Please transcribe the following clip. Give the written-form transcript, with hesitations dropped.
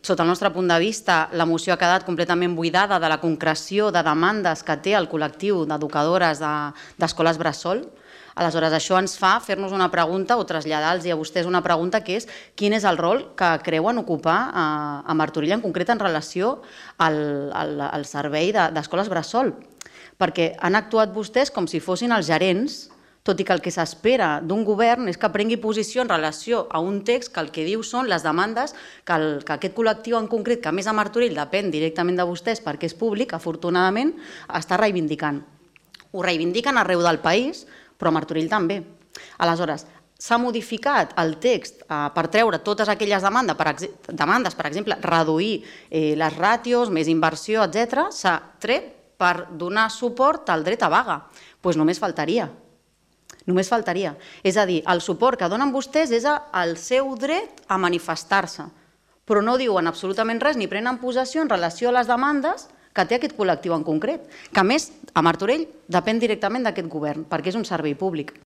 sota el nostre punt de vista, la moció ha quedat completament buidada de la concreció de demandes que té el col·lectiu d'educadores d'escoles bressol. Aleshores, això ens fa fer-nos una pregunta o traslladar-los a vostès una pregunta que és quin és el rol que creuen ocupar a Martorell, en concret en relació al servei d'escoles bressol. Perquè han actuat vostès com si fossin els gerents, tot i que el que s'espera d'un govern és que prengui posició en relació a un text que el que diu són les demandes que aquest col·lectiu en concret, que a més a Martorell depèn directament de vostès perquè és públic, afortunadament, està reivindicant. Ho reivindiquen arreu del país, però a Martorell també. Aleshores, s'ha modificat el text per treure totes aquelles demandes, per exemple, reduir les ràtios, més inversió, etc. S'ha tret per donar suport al dret a vaga. Doncs només faltaria. Només faltaria. És a dir, el suport que donen vostès és el seu dret a manifestar-se, però no diuen absolutament res ni prenen possessió en relació a les demandes que té aquest col·lectiu en concret, que a més a Martorell depèn directament d'aquest govern, perquè és un servei públic.